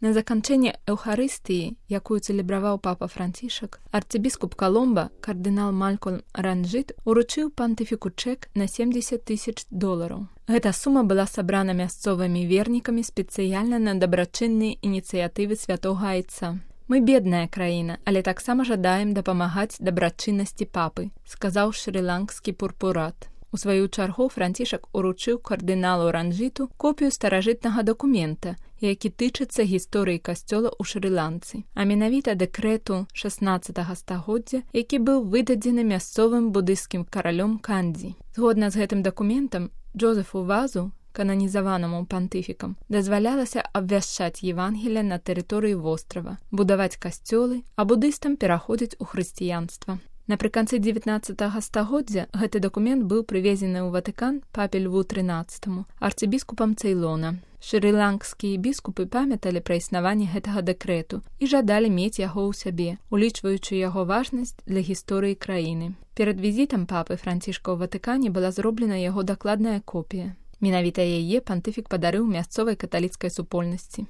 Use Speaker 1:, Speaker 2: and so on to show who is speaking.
Speaker 1: На заканчэнне эўхарыстыі, якую цэлебраваў папа Францішак, арцыбіскуп Каломба, кардынал Малькольм Ранжыт, уручыў пантыфіку чэк на $70,000. Гэта сума была сабрана мясцовымі вернікамі спецыяльна на дабрачынныя ініцыятывы святога айца. «Мы бедная краіна, але таксама жадаем дапамагаць дабрачыннасці папы», сказаў шры-ланкскі пурпурат. У сваю чаргу Францішак уручыў кардыналу Ранжыту копію старажытнага дакумента, які тычыцца гісторыі касцёла ў Шры-Ланцы, а менавіта дэкрэту 16 стагоддзя, які быў выдадзены мясцовым будысцкім каралём Кандзі. Згодна з гэтым дакументам, Джозефу Вазу, кананізаванаму пантыфікам, дазвалялася абвяшчаць Евангелія на тэрыторыі вострава, будаваць касцёлы, а будыстам пераходзіць у хрысціянства. Напрыканцы 19 стагоддзя гэты дакумент быў прывезены ў Ватыкан папе Льву XIII, арцыбіскупам Цэйлона. Шры-ланкскія біскупы памяталі пра існаванне гэтага дэкрэту і жадалі мець яго ў сябе, улічваючы яго важнасць для гісторыі краіны. Перад візітам папы Францішка ў Ватыкане была зроблена яго дакладная копія. Менавіта яе пантыфік падарыў мясцовай каталіцкай супольнасці.